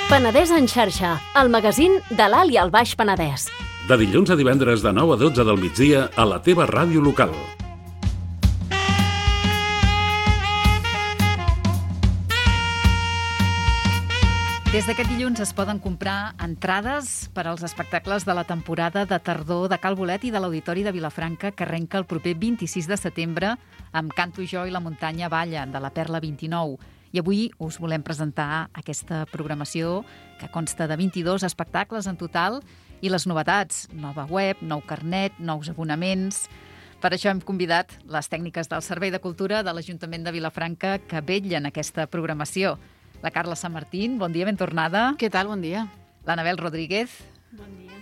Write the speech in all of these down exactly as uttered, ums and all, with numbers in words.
Penedès en xarxa, el magazín de l'Alt i el Baix Penedès. De dilluns a divendres de nou a dotze del migdia a la teva ràdio local. Des d'aquest dilluns es poden comprar entrades per als espectacles de la temporada de tardor de Cal Bolet i de l'Auditori de Vilafranca, que arrenca el proper vint-i-sis de setembre amb Canto jo i la muntanya balla, de la Perla vint-i-nou. I avui us volem presentar aquesta programació que consta de vint-i-dos espectacles en total i les novetats, nova web, nou carnet, nous abonaments. Per això hem convidat les tècniques del Servei de Cultura de l'Ajuntament de Vilafranca que vetllen aquesta programació. La Carla Sant Martín, bon dia, ben tornada. Què tal? Bon dia. L'Anabel Rodríguez. Bon dia.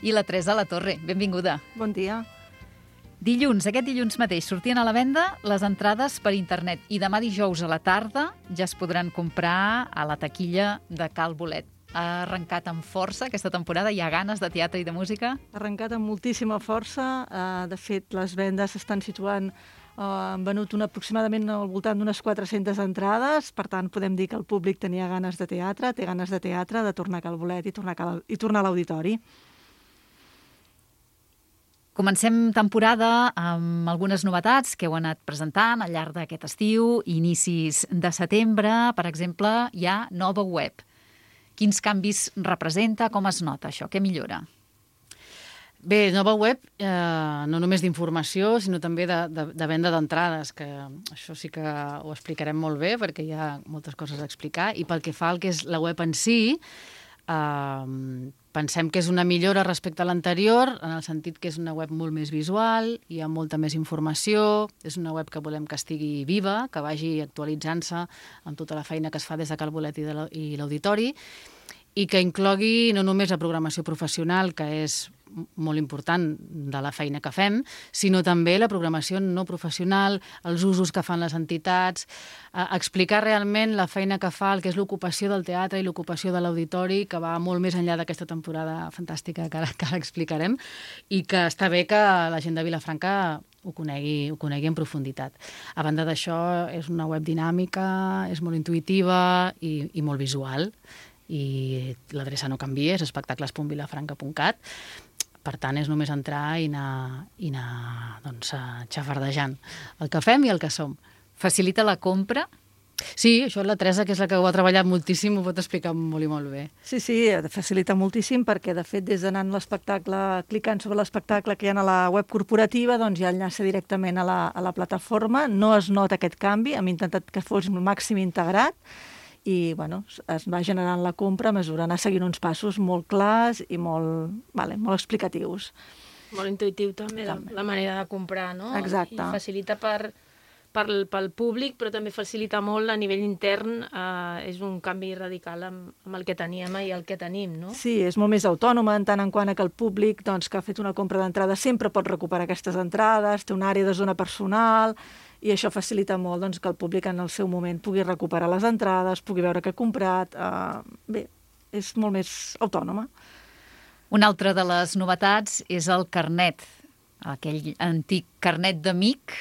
I la Teresa La Torre, benvinguda. Bon dia. Dilluns, aquest dilluns mateix, sortien a la venda les entrades per internet i demà dijous a la tarda ja es podran comprar a la taquilla de Cal Bolet. Ha arrencat amb força aquesta temporada? Hi ha ganes de teatre i de música? Ha arrencat amb moltíssima força. De fet, les vendes s'estan situant, han venut una, aproximadament al voltant d'unes quatre-centes entrades, per tant, podem dir que el públic tenia ganes de teatre, té ganes de teatre, de tornar a Cal Bolet i tornar a, Cal, i tornar a l'auditori. Comencem temporada amb algunes novetats que heu anat presentant al llarg d'aquest estiu, inicis de setembre. Per exemple, hi ha nova web. Quins canvis representa? Com es nota això? Què millora? Bé, nova web, eh, no només d'informació, sinó també de, de, de venda d'entrades, que això sí que ho explicarem molt bé, perquè hi ha moltes coses a explicar. I pel que fa al que és la web en si, eh, pensem que és una millora respecte a l'anterior, en el sentit que és una web molt més visual, hi ha molta més informació, és una web que volem que estigui viva, que vagi actualitzant-se amb tota la feina que es fa des de Cal Bolet i l'Auditori, i que inclogui no només la programació professional, que és molt important de la feina que fem, sinó també la programació no professional, els usos que fan les entitats, eh, explicar realment la feina que fa, el que és l'ocupació del teatre i l'ocupació de l'auditori, que va molt més enllà d'aquesta temporada fantàstica que ara, que ara explicarem, i que està bé que la gent de Vilafranca ho conegui, ho conegui en profunditat. A banda d'això, és una web dinàmica, és molt intuïtiva i, i molt visual, i l'adreça no canvia, és espectacles punt vilafranca punt cat. Per tant, és només entrar i anar, i anar doncs, xafardejant el que fem i el que som. Facilita la compra? Sí, això la Teresa, que és la que ho ha treballat moltíssim, ho pot explicar molt i molt bé. Sí, sí, facilita moltíssim perquè, de fet, des d'anant l'espectacle, clicant sobre l'espectacle que hi ha a la web corporativa, doncs ja enllaça directament a la, a la plataforma. No es nota aquest canvi, hem intentat que fos el màxim integrat, i bueno, es va generant la compra a mesura, anar seguint uns passos molt clars i molt, vale, molt explicatius. Molt intuïtiu també, també. La, la manera de comprar, no? Exacte. I facilita per, per, pel públic, però també facilita molt a nivell intern. Eh, és un canvi radical amb, amb el que teníem i el que tenim, no? Sí, és molt més autònoma en tant en quant a que el públic doncs, que ha fet una compra d'entrada sempre pot recuperar aquestes entrades, té una àrea de zona personal, i això facilita molt doncs, que el públic en el seu moment pugui recuperar les entrades, pugui veure què ha comprat. Eh, bé, és molt més autònoma. Una altra de les novetats és el carnet, aquell antic carnet d'amic,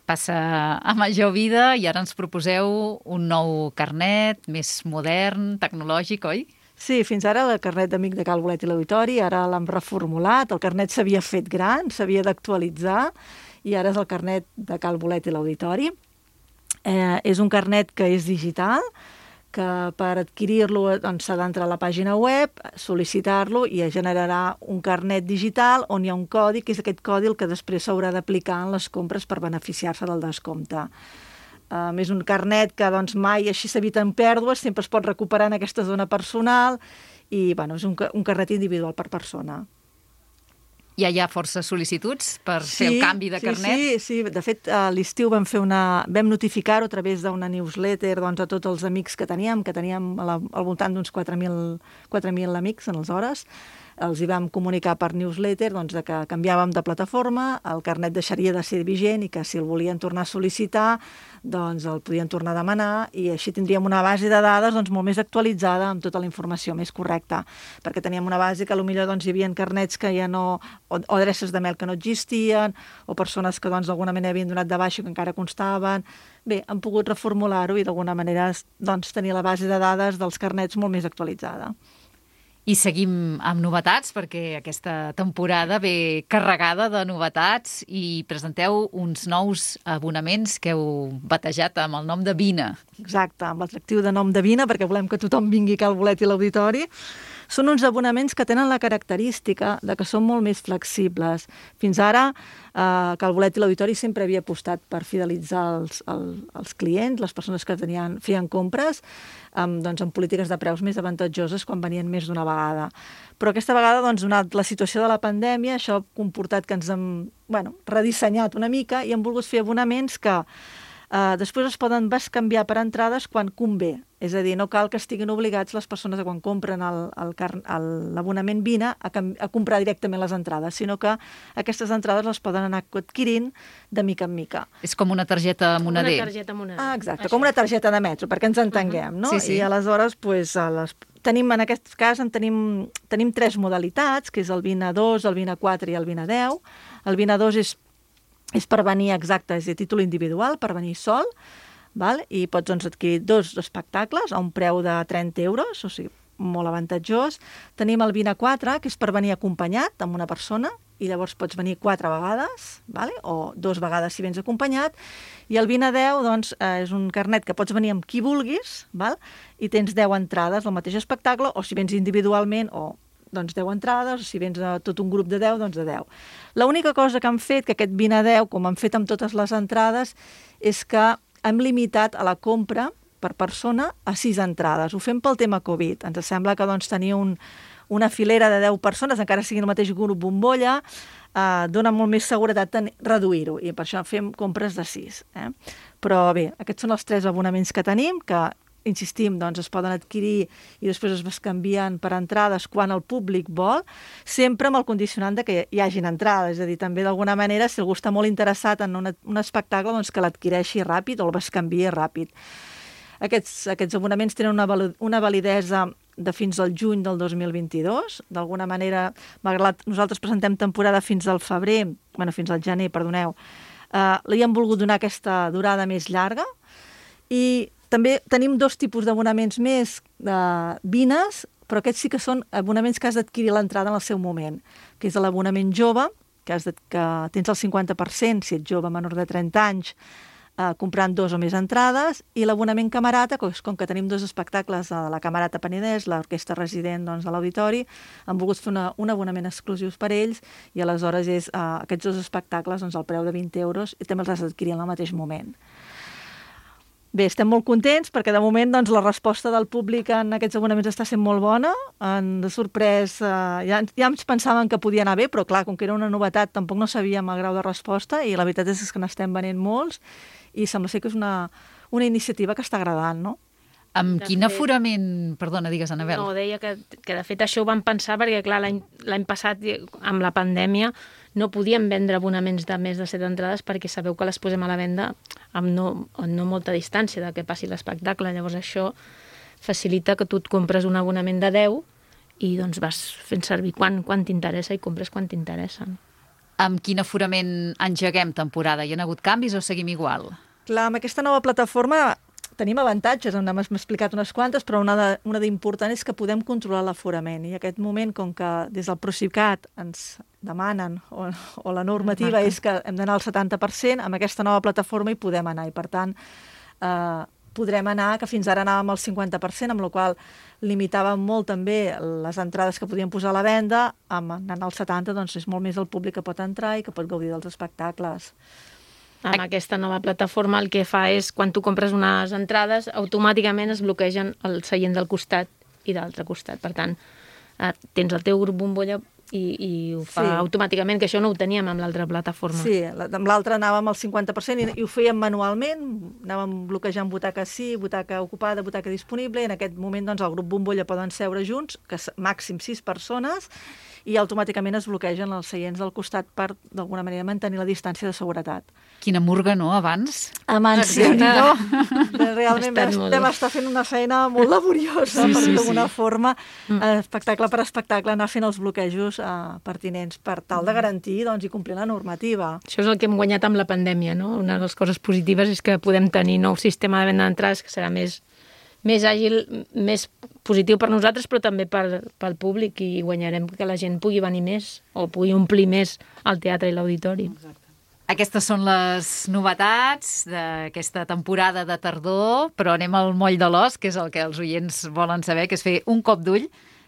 passa a major vida i ara ens proposeu un nou carnet més modern, tecnològic, oi? Sí, fins ara el carnet d'amic de Cal Bolet i l'Auditori, ara l'hem reformulat, el carnet s'havia fet gran, s'havia d'actualitzar, i ara és el carnet de Cal Bolet i l'Auditori. Eh, és un carnet que és digital, que per adquirir-lo doncs, s'ha d'entrar a la pàgina web, sol·licitar-lo i es generarà un carnet digital on hi ha un codi, que és aquest codi el que després s'haurà d'aplicar en les compres per beneficiar-se del descompte. Um, és un carnet que doncs, mai així s'eviten pèrdues, sempre es pot recuperar en aquesta zona personal i bueno, és un, un carnet individual per persona. Ja hi ha força sol·licituds per sí, fer el canvi de sí, carnet? Sí, sí, de fet, a l'estiu vam fer una... vam notificar-ho a través d'una newsletter doncs, a tots els amics que teníem, que teníem al, al voltant d'uns quatre mil amics en les hores, els hi vam comunicar per newsletter doncs, de que canviàvem de plataforma, el carnet deixaria de ser vigent i que si el volien tornar a sol·licitar doncs el podien tornar a demanar i així tindríem una base de dades doncs, molt més actualitzada amb tota la informació més correcta, perquè teníem una base que potser doncs, hi havia carnets que ja no, o, o adreces de mail que no existien, o persones que doncs, d'alguna manera havien donat de baixa que encara constaven. Bé, han pogut reformular-ho i d'alguna manera doncs, tenir la base de dades dels carnets molt més actualitzada. I seguim amb novetats, perquè aquesta temporada ve carregada de novetats i presenteu uns nous abonaments que heu batejat amb el nom de Vine. Exacte, amb l'atractiu de nom de Vine, perquè volem que tothom vingui al bolet i l'auditori. Són uns abonaments que tenen la característica de que són molt més flexibles. Fins ara, eh, que el bolet i l'auditori sempre havia apostat per fidelitzar els, el, els clients, les persones que tenien, feien compres, amb, doncs, amb polítiques de preus més avantatjoses quan venien més d'una vegada. Però aquesta vegada, doncs, donat la situació de la pandèmia, això ha comportat que ens hem bueno, redissenyat una mica i hem volgut fer abonaments que Uh, després es poden bescanviar per entrades quan convé. És a dir, no cal que estiguin obligats les persones que quan compren l'abonament Vine a, a comprar directament les entrades, sinó que aquestes entrades les poden anar adquirint de mica en mica. És com una targeta moneder. Una targeta moneder. Ah, exacte, com una targeta de metro, perquè ens entenguem, uh -huh. no? Sí, sí. I aleshores, pues, a les... tenim, en aquest cas, en tenim, tenim tres modalitats, que és el Vine dos, el Vine quatre i el Vine deu. El Vine dos és és per venir exacte, és de títol individual, per venir sol, val? I pots doncs, adquirir dos espectacles a un preu de trenta euros, o sigui, molt avantatjós. Tenim el Vine quatre, que és per venir acompanyat amb una persona, i llavors pots venir quatre vegades, vale? O dos vegades si vens acompanyat. I el Vine deu doncs, eh, és un carnet que pots venir amb qui vulguis, val? I tens deu entrades al mateix espectacle, o si vens individualment, o doncs deu entrades, o si vens a tot un grup de deu, doncs de deu. L'única cosa que han fet, que aquest Vine deu, com han fet amb totes les entrades, és que hem limitat a la compra per persona a sis entrades. Ho fem pel tema Covid. Ens sembla que doncs, tenir un, una filera de deu persones, encara sigui el mateix grup bombolla, eh, dona molt més seguretat reduir-ho, i per això fem compres de sis. Eh? Però bé, aquests són els tres abonaments que tenim, que insistim, doncs es poden adquirir i després es bescanvien per entrades quan el públic vol, sempre amb el condicionant de que hi hagin entrades. És a dir, també d'alguna manera, si algú està molt interessat en una, un espectacle, doncs que l'adquireixi ràpid o el bescanviï ràpid. Aquests, aquests abonaments tenen una, una validesa de fins al juny del dos mil vint-i-dos. D'alguna manera, malgrat nosaltres presentem temporada fins al febrer, bueno, fins al gener, perdoneu, eh, li hem volgut donar aquesta durada més llarga. I també tenim dos tipus d'abonaments més de Vines, però aquests sí que són abonaments que has d'adquirir l'entrada en el seu moment, que és l'abonament jove, que, has de, que tens el cinquanta per cent, si ets jove menor de trenta anys, eh, comprant dos o més entrades, i l'abonament camarata, com, com que tenim dos espectacles a la Camerata Penedès, l'orquestra resident doncs, a l'auditori, han volgut fer una, un abonament exclusius per ells, i aleshores és eh, aquests dos espectacles doncs, al preu de vint euros, i també els has d'adquirir en el mateix moment. Bé, estem molt contents perquè de moment doncs, la resposta del públic en aquests abonaments està sent molt bona. En, de sorprès, eh, ja, ja ens pensàvem que podia anar bé, però clar, com que era una novetat tampoc no sabíem el grau de resposta i la veritat és que n'estem venent molts i sembla ser que és una, una iniciativa que està agradant, no? Amb De quin fet- aforament... Perdona, digues, Anabel. No, deia que, que de fet això ho vam pensar perquè, clar, l'any l'any passat, amb la pandèmia, no podíem vendre abonaments de més de set entrades perquè sabeu que les posem a la venda amb no, amb no molta distància de que passi l'espectacle. Llavors això facilita que tu et compres un abonament de deu i doncs vas fent servir quan, quan t'interessa i compres quan t'interessa. Amb quin aforament engeguem temporada? Hi ha hagut canvis o seguim igual? Clar, amb aquesta nova plataforma tenim avantatges, n'hem explicat unes quantes, però una de- una d'important és que podem controlar l'aforament. I en aquest moment, com que des del Procicat ens demanen, o, o la normativa és que hem d'anar al setanta per cent, amb aquesta nova plataforma hi podem anar. I per tant, eh, podrem anar, que fins ara anàvem al cinquanta per cent, amb la qual limitàvem molt també les entrades que podíem posar a la venda, amb anant al setanta, doncs és molt més el públic que pot entrar i que pot gaudir dels espectacles. Amb aquesta nova plataforma el que fa és, quan tu compres unes entrades, automàticament es bloquegen el seient del costat i de l'altre costat. Per tant, eh, tens el teu grup bombolla i, i ho fa Sí. automàticament, que això no ho teníem amb l'altra plataforma. Sí, la- amb l'altra anàvem al cinquanta per cent i, i ho fèiem manualment, anàvem bloquejant butaca sí, butaca ocupada, butaca disponible, i en aquest moment doncs, el grup bombolla poden seure junts, que s- màxim sis persones, i automàticament es bloquegen els seients del costat per, d'alguna manera, mantenir la distància de seguretat. Quina murga, no, abans? Amant, sí, no? Realment Ha estat vam, molt- vam estar fent una feina molt laboriosa, Sí, per sí, d'alguna sí. forma, eh, espectacle per espectacle, anar fent els bloquejos eh, pertinents per tal de garantir doncs, i complir la normativa. Això és el que hem guanyat amb la pandèmia, no? Una de les coses positives és que podem tenir nou sistema de venda d'entrades que serà més, més àgil, més positiu per nosaltres, però també per, pel públic, i guanyarem que la gent pugui venir més o pugui omplir més el teatre i l'auditori. Aquestes són les novetats d'aquesta temporada de tardor, però anem al moll de l'os, que és el que els oients volen saber, que és fer un cop d'ull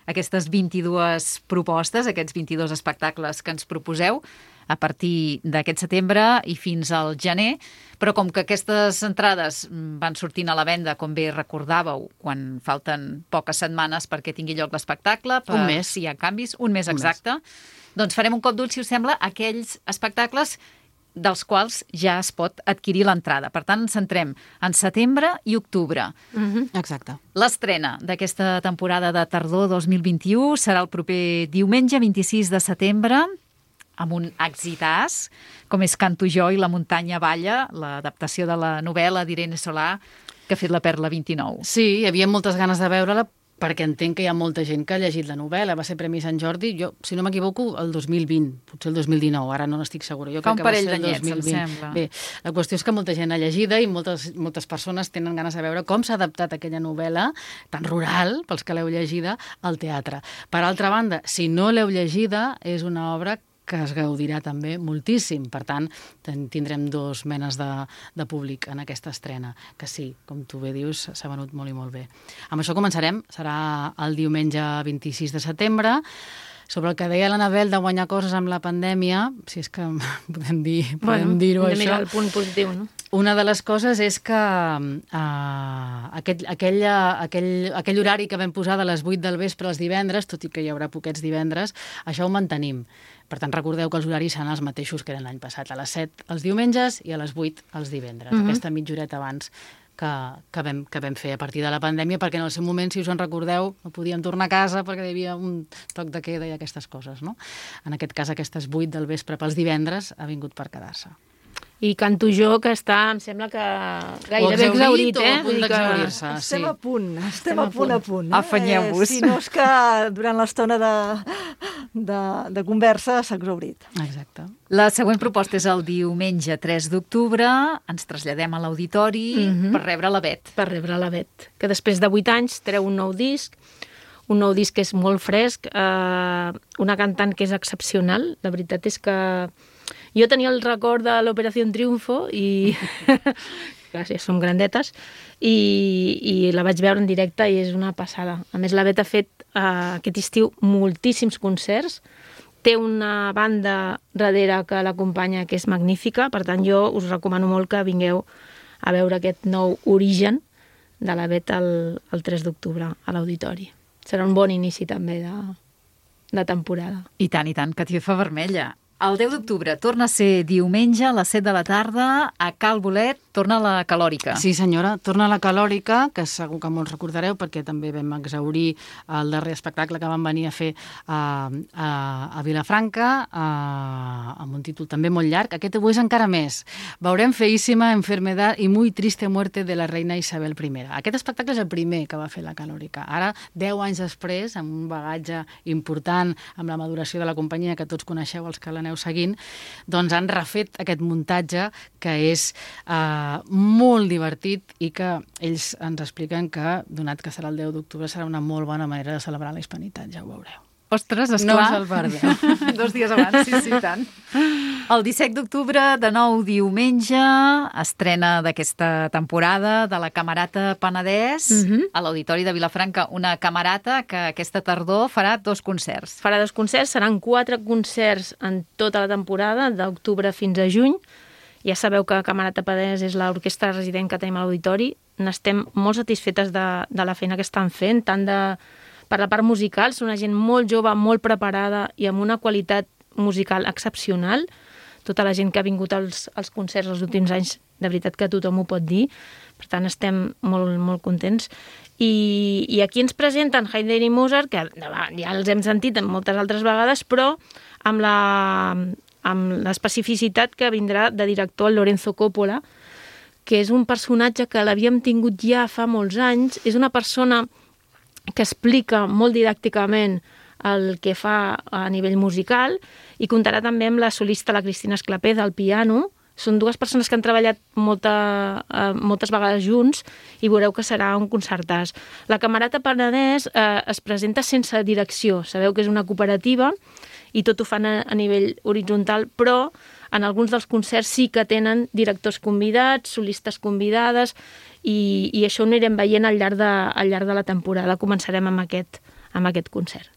aquestes vint-i-dues propostes, aquests vint-i-dos espectacles que ens proposeu a partir d'aquest setembre i fins al gener, però com que aquestes entrades van sortint a la venda, com bé recordàveu, quan falten poques setmanes perquè tingui lloc l'espectacle, per Un mes. si hi ha canvis, un mes Un exacte, doncs farem un cop d'ull, si us sembla, a aquells espectacles dels quals ja es pot adquirir l'entrada. Per tant, ens centrem en setembre i octubre. Exacte. L'estrena d'aquesta temporada de tardor dos mil vint-i-u serà el proper diumenge vint-i-sis de setembre, amb un exitàs, com és Canto jo i la muntanya balla, l'adaptació de la novel·la d'Irene Solà, que ha fet la Perla vint-i-nou. Sí, hi havia moltes ganes de veure-la, perquè entenc que hi ha molta gent que ha llegit la novel·la. Va ser Premi Sant Jordi, jo, si no m'equivoco, el dos mil vint, potser el dos mil dinou, ara no n'estic segura. Jo Fa un crec que va parell ser el d'anyets, em dos mil vint. sembla. Bé, la qüestió és que molta gent ha llegida i moltes, moltes persones tenen ganes de veure com s'ha adaptat aquella novel·la tan rural, pels que l'heu llegida, al teatre. Per altra banda, si no l'heu llegida, és una obra que es gaudirà també moltíssim. Per tant, ten- tindrem dos menes de, de públic en aquesta estrena, que sí, com tu bé dius, s'ha venut molt i molt bé. Amb això començarem, serà el diumenge vint-i-sis de setembre. Sobre el que deia l'Anabel de guanyar coses amb la pandèmia, si és que podem dir, podem dir-ho hem de això. mirar el punt positiu, no? Una de les coses és que uh, aquell, aquell, aquell, aquell horari que vam posar de les vuit del vespre als divendres, tot i que hi haurà poquets divendres, això ho mantenim. Per tant, recordeu que els horaris seran els mateixos que eren l'any passat, a les set els diumenges i a les vuit els divendres, Mhm. aquesta mitja horeta abans que, que, vam, que vam fer a partir de la pandèmia, perquè en el seu moment, si us en recordeu, no podíem tornar a casa perquè hi havia un toc de queda i aquestes coses, no? En aquest cas, aquestes vuit del vespre pels divendres ha vingut per quedar-se. I Canto jo, que està, em sembla que gairebé exhaurit exaurit, o eh? a punt Vull dir que- d'exaurir-se. Ah, Estem sí. a punt, estem a punt a punt. Eh? Afanyeu-vos. Si no és que durant l'estona de, de, de conversa s'ha exaurit. Exacte. La següent proposta és el diumenge tres d'octubre. Ens traslladem a l'auditori Mhm. per rebre la Bet. Per rebre la Bet, que després de vuit anys treu un nou disc, un nou disc que és molt fresc, eh, una cantant que és excepcional. La veritat és que jo tenia el record de l'Operació Triunfo i... Gràcies, som grandetes. I, I la vaig veure en directe i és una passada. A més, la Bet ha fet eh, aquest estiu moltíssims concerts. Té una banda darrere que l'acompanya que és magnífica. Per tant, jo us recomano molt que vingueu a veure aquest nou origen de la Bet el, el tres d'octubre a l'Auditori. Serà un bon inici també de, de temporada. I tant, i tant, catifa vermella. El deu d'octubre torna a ser diumenge a les set de la tarda a Cal Bolet, torna a la Calòrica. Sí, senyora, torna a la Calòrica, que segur que molts recordareu, perquè també vam exaurir el darrer espectacle que van venir a fer a, a, a Vilafranca, a, amb un títol també molt llarg. Aquest ho és encara més. Veurem Feíssima enfermedad y muy triste muerte de la reina Isabel I. Aquest espectacle és el primer que va fer la Calòrica. Ara, deu anys després, amb un bagatge important, amb la maduració de la companyia que tots coneixeu, els que l'aneu seguint, doncs han refet aquest muntatge que és eh, molt divertit i que ells ens expliquen que, donat que serà el deu d'octubre, serà una molt bona manera de celebrar la hispanitat, ja ho veureu. Ostres, No esclar. us el perdeu. Dos dies abans, sí, sí, tant. El disset d'octubre, de nou diumenge, estrena d'aquesta temporada de la Camerata Penedès, Mhm. a l'Auditori de Vilafranca, una camerata que aquesta tardor farà dos concerts. Farà dos concerts, seran quatre concerts en tota la temporada, d'octubre fins a juny. Ja sabeu que Camerata Penedès és l'orquestra resident que tenim a l'Auditori. N'estem molt satisfetes de, de la feina que estan fent, tant de per la part musical, són una gent molt jove, molt preparada i amb una qualitat musical excepcional. Tota la gent que ha vingut als, als concerts els últims anys, de veritat que tothom ho pot dir. Per tant, estem molt, molt contents. I, i aquí ens presenten Haydn i Mozart, que ja els hem sentit moltes altres vegades, però amb la, amb l'especificitat que vindrà de director el Lorenzo Coppola, que és un personatge que l'havíem tingut ja fa molts anys. És una persona que explica molt didàcticament el que fa a nivell musical i comptarà també amb la solista, la Cristina Esclapé, del piano. Són dues persones que han treballat molta, eh, moltes vegades junts i veureu que serà un concertàs. La Camerata Penedès eh, es presenta sense direcció. Sabeu que és una cooperativa i tot ho fan a, a nivell horitzontal, però en alguns dels concerts sí que tenen directors convidats, solistes convidades, i, i això ho anirem veient al llarg de, al llarg de la temporada. Començarem amb aquest, amb aquest concert.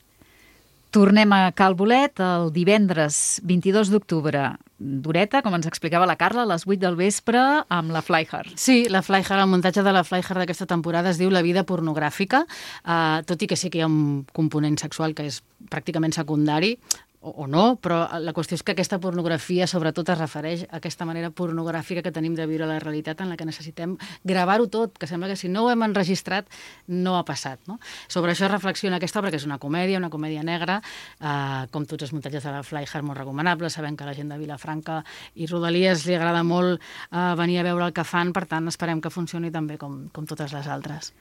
Tornem a Cal Bolet el divendres vint-i-dos d'octubre. D'horeta, com ens explicava la Carla, a les vuit del vespre amb la Flyhard. Sí, la Flyhard, el muntatge de la Flyhard d'aquesta temporada es diu La vida pornogràfica, eh, tot i que sí que hi ha un component sexual que és pràcticament secundari, o, o no, però la qüestió és que aquesta pornografia sobretot es refereix a aquesta manera pornogràfica que tenim de viure la realitat, en la que necessitem gravar-ho tot, que sembla que si no ho hem enregistrat no ha passat. No? Sobre això reflexiona aquesta obra, que és una comèdia, una comèdia negra, eh, com tots els muntatges de la Flyhard, molt recomanable. Sabem que a la gent de Vilafranca i Rodalies li agrada molt eh, venir a veure el que fan, per tant esperem que funcioni també com, com totes les altres.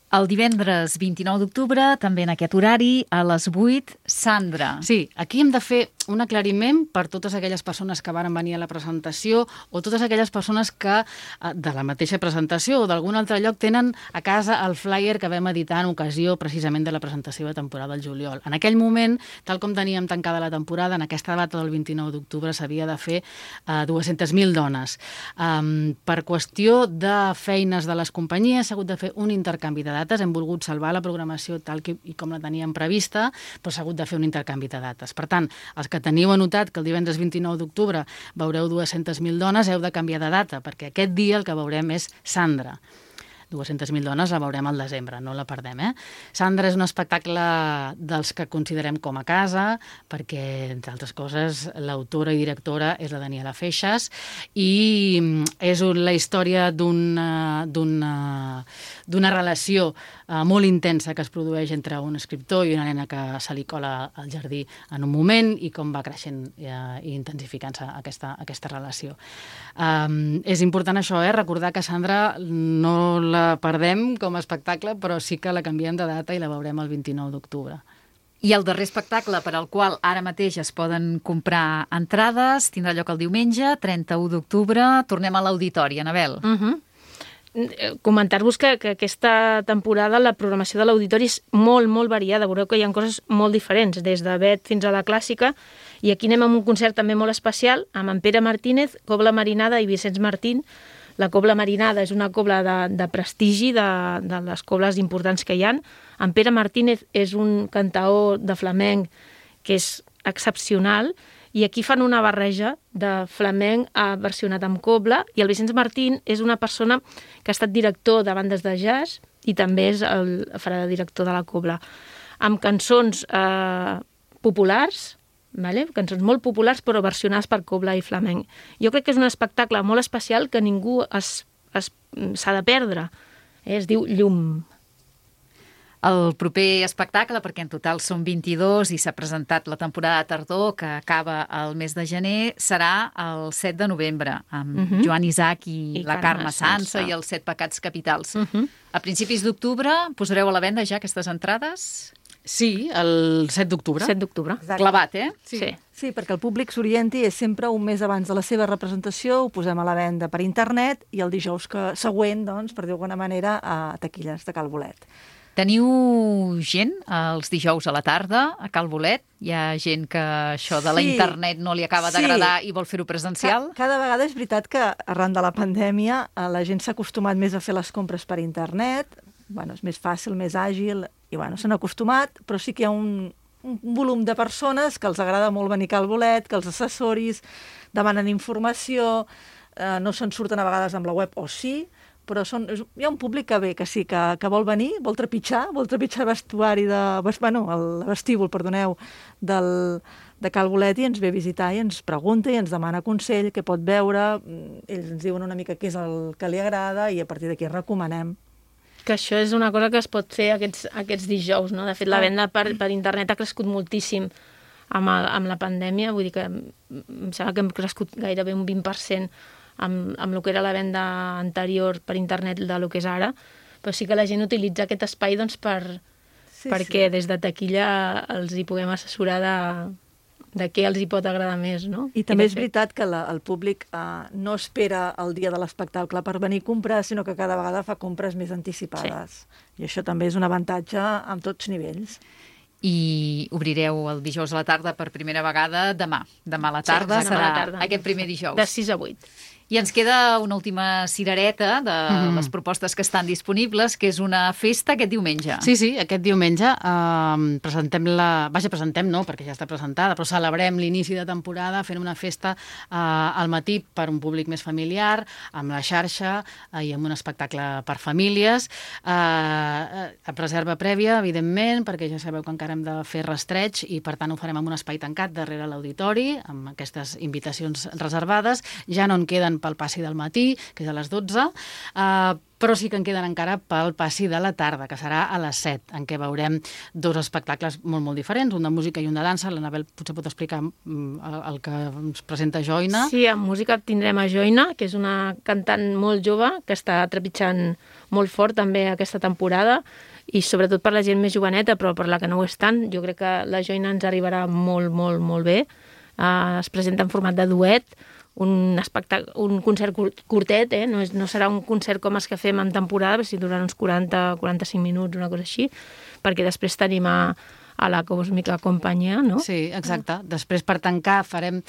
El divendres vint-i-nou d'octubre, també en aquest horari, a les vuit, Sandra. Sí, aquí hem de fer un aclariment per totes aquelles persones que varen venir a la presentació o totes aquelles persones que de la mateixa presentació o d'algun altre lloc tenen a casa el flyer que vam editar en ocasió precisament de la presentació de temporada del juliol. En aquell moment, tal com teníem tancada la temporada, en aquesta data del vint-i-nou d'octubre s'havia de fer uh, dues-centes mil dones. Um, per qüestió de feines de les companyies s'ha hagut de fer un intercanvi de dates. Hem volgut salvar la programació tal que, i com la teníem prevista, però s'ha hagut de fer un intercanvi de dates. Per tant, els que teniu anotat que el divendres vint-i-nou d'octubre veureu dues-centes mil dones, heu de canviar de data, perquè aquest dia el que veurem és Sandra. dues-centes mil dones la veurem al desembre, no la perdem, eh? Sandra és un espectacle dels que considerem com a casa, perquè, entre altres coses, l'autora i directora és la Daniela Feixas, i és la història d'una, d'una, d'una relació eh, molt intensa que es produeix entre un escriptor i una nena que se li cola al jardí en un moment i com va creixent eh, i intensificant-se aquesta, aquesta relació. Um, és important això, eh? Recordar que Sandra no la perdem com a espectacle, però sí que la canviem de data i la veurem el vint-i-nou d'octubre. I el darrer espectacle per al qual ara mateix es poden comprar entrades tindrà lloc el diumenge, trenta-u d'octubre. Tornem a l'auditori, Anabel. Uh -huh. Comentar-vos que, que aquesta temporada la programació de l'auditori és molt, molt variada. Veureu que hi ha coses molt diferents, des de Bet fins a la clàssica, i aquí anem amb un concert també molt especial, amb en Pere Martínez, Cobla Marinada i Vicenç Martín. La Cobla Marinada és una cobla de, de prestigi, de, de les cobles importants que hi ha. En Pere Martínez és un cantaor de flamenc que és excepcional, i aquí fan una barreja de flamenc versionat amb cobla, i el Vicenç Martín és una persona que ha estat director de bandes de jazz i també és el, farà de director de la cobla, amb cançons eh, populars, vale? Cançons molt populars però versionades per cobla i flamenc. Jo crec que és un espectacle molt especial que ningú es, es, s'ha de perdre. Eh? Es diu Llum. El proper espectacle, perquè en total són vint-i-dos i s'ha presentat la temporada de tardor que acaba el mes de gener, serà el set de novembre, amb uh -huh. Joan Isaac i, I la Carme Sansa i els Set Pecats Capitals. Uh -huh. A principis d'octubre posareu a la venda ja aquestes entrades? Sí, el set d'octubre. set d'octubre. Clavat, eh? Sí. sí. Sí, perquè el públic s'orienti és sempre un mes abans de la seva representació, ho posem a la venda per internet i el dijous que següent, doncs, per dir d'alguna manera, a taquilles de Cal Bolet. Teniu gent els dijous a la tarda a Cal Bolet? Hi ha gent que això de la sí, internet no li acaba d'agradar sí. i vol fer-ho presencial? Ca cada vegada és veritat que arran de la pandèmia la gent s'ha acostumat més a fer les compres per internet, bueno, és més fàcil, més àgil, i bueno, s'han acostumat, però sí que hi ha un, un volum de persones que els agrada molt venir a Cal Bolet, que els assessoris demanen informació, eh, no se'n surten a vegades amb la web, o sí, però són, és, hi ha un públic que ve, que sí, que, que vol venir, vol trepitjar, vol trepitjar el vestuari de... Bueno, el vestíbul, perdoneu, del, de Cal Bolet, i ens ve a visitar i ens pregunta i ens demana consell, què pot veure, ells ens diuen una mica què és el que li agrada i a partir d'aquí recomanem. Que això és una cosa que es pot fer aquests, aquests dijous, no? De fet, la venda per, per internet ha crescut moltíssim amb, el, amb la pandèmia, vull dir que em sembla que hem crescut gairebé un vint per cent amb, amb el que era la venda anterior per internet de lo que és ara, però sí que la gent utilitza aquest espai doncs, per, sí, perquè sí. Des de taquilla els hi puguem assessorar de, de què els hi pot agradar més, no? I també I és fet... veritat que la, el públic eh, no espera el dia de l'espectacle per venir a comprar, sinó que cada vegada fa compres més anticipades. Sí. I això també és un avantatge en tots nivells. I obrireu el dijous a la tarda per primera vegada demà. Demà a la tarda sí, serà tarda. Aquest primer dijous. De sis a vuit. I ens queda una última cirereta de mm. les propostes que estan disponibles, que és una festa aquest diumenge. Sí, sí, aquest diumenge eh, presentem la... Vaja, presentem no, perquè ja està presentada, però celebrem l'inici de temporada fent una festa eh, al matí per un públic més familiar, amb la xarxa eh, i amb un espectacle per famílies. Eh, a reserva prèvia, evidentment, perquè ja sabeu que encara hem de fer rastreig i, per tant, ho farem en un espai tancat darrere l'auditori, amb aquestes invitacions reservades. Ja no en queden pel passi del matí, que és a les dotze, eh, però sí que en queden encara pel passi de la tarda, que serà a les set, en què veurem dos espectacles molt, molt diferents, un de música i un de dansa. L'Anabel potser pot explicar el, el que ens presenta Joina. Sí, en música tindrem a Joina, que és una cantant molt jove, que està trepitjant molt fort també aquesta temporada, i sobretot per la gent més joveneta, però per la que no ho és tant, jo crec que la Joina ens arribarà molt, molt, molt bé. Uh, es presenta en format de duet, un, espectacle, un concert curtet, eh? no, és, no serà un concert com els que fem en temporada, però si duran uns quaranta a quaranta-cinc minuts, una cosa així, perquè després tenim a, a la Còsmica Companyia, no? Sí, exacte. Després, per tancar, farem,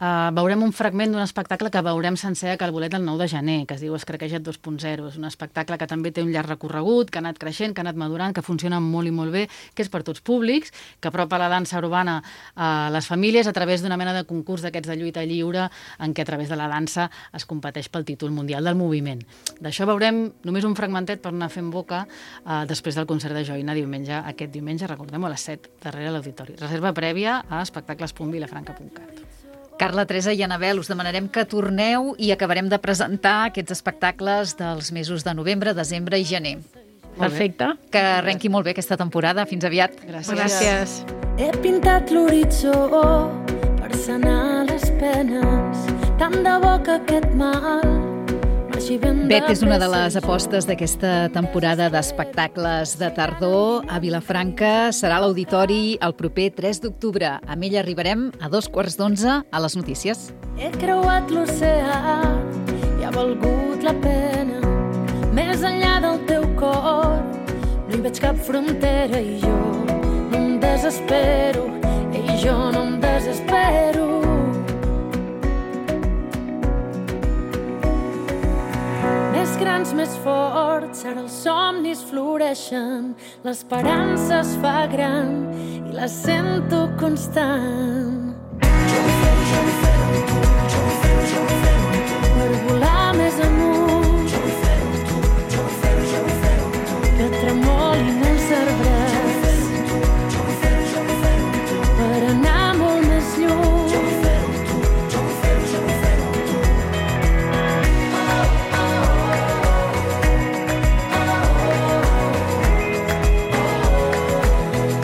uh, veurem un fragment d'un espectacle que veurem sencer a Cal Bolet el nou de gener, que es diu Escraqueja't dos punt zero. És un espectacle que també té un llarg recorregut, que ha anat creixent, que ha anat madurant, que funciona molt i molt bé, que és per tots públics, que apropa la dansa urbana a les famílies a través d'una mena de concurs d'aquests de lluita lliure, en què a través de la dansa es competeix pel títol mundial del moviment. D'això veurem només un fragmentet per anar fent boca uh, després del concert de Joina diumenge, aquest diumenge, recordem-ho, a les set darrere l'auditori. Reserva prèvia a espectacles punt vilafranca punt cat. Carla, Teresa i Anabel, us demanarem que torneu i acabarem de presentar aquests espectacles dels mesos de novembre, desembre i gener. Perfecte. Que arrenqui molt bé aquesta temporada. Fins aviat. Gràcies. Gràcies. He pintat l'horitzó per sanar les penes, tant de bo que aquest mal Bet és una de les apostes d'aquesta temporada d'espectacles de tardor a Vilafranca. Serà a l'auditori el proper tres d'octubre. Amb ella arribarem a dos quarts d'onze a les notícies. He creuat l'oceà i ha valgut la pena. Més enllà del teu cor no hi veig cap frontera i jo no em desespero, i jo no em desespero. Més grans, més forts, ara els somnis floreixen, l'esperança es fa gran i la sento constant. Jo ho faré, jo ho faré, jo